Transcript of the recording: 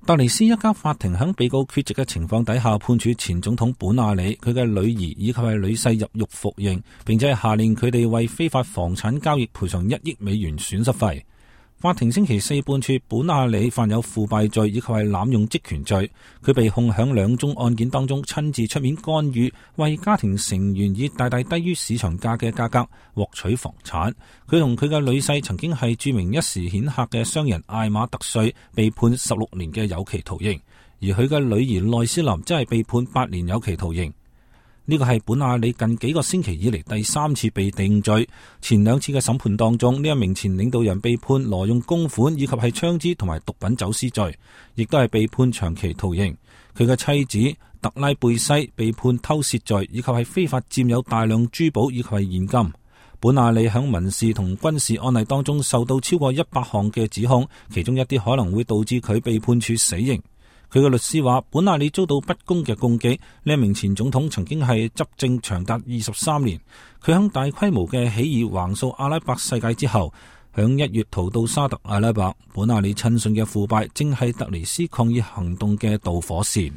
突尼斯一家法庭喺被告缺席嘅情況底下判處前總統本阿里、佢嘅女兒以及係女婿入獄服刑，並且係下令佢哋為非法房產交易賠償1億美元損失費。法庭星期四判處本阿里犯有腐敗罪以及係濫用職權罪，佢被控響2宗案件當中親自出面干預，為家庭成員以大大低於市場價嘅價格獲取房產。佢同佢嘅女婿曾經係著名一時顯赫嘅商人艾馬特瑞，被判16年嘅有期徒刑，而佢嘅女兒內斯林則係被判8年有期徒刑。呢個係本阿里近幾個星期以嚟第3次被定罪。前2次嘅審判當中，呢一名前領導人被判挪用公款以及係槍支同埋毒品走私罪，亦都係被判長期徒刑。佢嘅妻子特拉貝西被判偷竊罪以及係非法佔有大量珠寶以及係現金。本阿里響民事同軍事案例當中受到超過100項嘅指控，其中一啲可能會導致佢被判處死刑。佢嘅律師話，本阿里遭到不公嘅攻擊。呢一名前總統曾經係執政長達23年，佢響大規模嘅起義橫掃阿拉伯世界之後，響1月逃到沙特阿拉伯。本阿里親信嘅腐敗正係突尼斯抗議行動嘅導火線。